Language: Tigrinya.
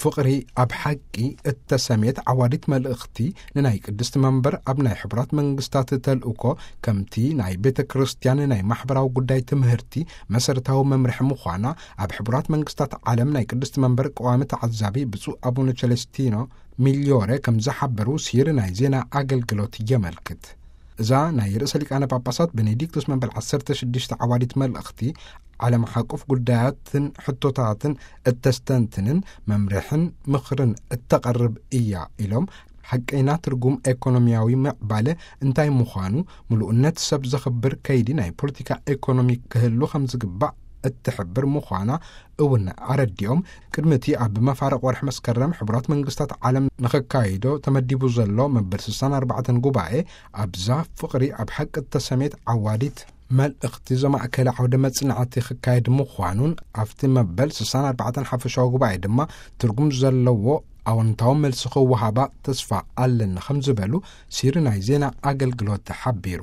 ፍቕሪ ኣብ ሓቂ እተሰምየት ዓዋዲት መልእኽቲ፣ ንናይ ቅድስቲ መንበር ኣብ ናይ ሕቡራት መንግስታት ተልእኮ፣ ከምቲ ናይ ቤተ ክርስቲያን ናይ ማሕበራዊ ጉዳይ ትምህርቲ መሰረታዊ መምርሒ ምዃና፣ ኣብ ሕቡራት መንግስታት ዓለም ናይ ቅድስቲ መንበር ቀዋሚ ተዓዛቢ ብፁዕ ኣቡነ ቸለስቲኖ ሚልዮረ ከም ዝሓበሩ ሲሪ ናይ ዜና ኣገልግሎት የመልክት። እዛ ናይ ርእሰ ሊቃነ ጳጳሳት ቤኔዲክቶስ መበል ዓሰርተ ሽዱሽተ ዓዋዲት መልእኽቲ፣ ዓለም ሓቁፍ ጉዳያትን ሕቶታትን እተስተንትንን መምርሕን ምኽርን እተቐርብ እያ ኢሎም፣ ሓቀይና ትርጉም ኤኮኖሚያዊ ምዕባለ እንታይ ምዃኑ፣ ምሉእነት ሰብ ዘኽብር ከይዲ ናይ ፖለቲካ ኤኮኖሚ ክህሉ ከም ዝግባእ እትሕብር ምዃና እውን ኣረዲኦም፣ ቅድሚ እቲ ኣብ መፋርቕ ወርሒ መስከረም ሕቡራት መንግስታት ዓለም ንኸካይዶ ተመዲቡ ዘሎ መበል ስሳን ኣርባዕተን ጉባኤ፣ ኣብዛ ፍቕሪ ኣብ ሓቂ እተሰምየት ዓዋዲት መልእኽቲ ዘማእከለ ዓውደ መጽናዕቲ ክካየድ ምዃኑን፣ ኣብቲ መበል ስሳን ኣርባዕተን ሓፈሻዊ ጉባኤ ድማ ትርጉም ዘለዎ ኣወንታዊ መልሲ ክወሃባ ተስፋ ኣለና ከም ዝበሉ ሲሪ ናይ ዜና ኣገልግሎት ሓቢሩ።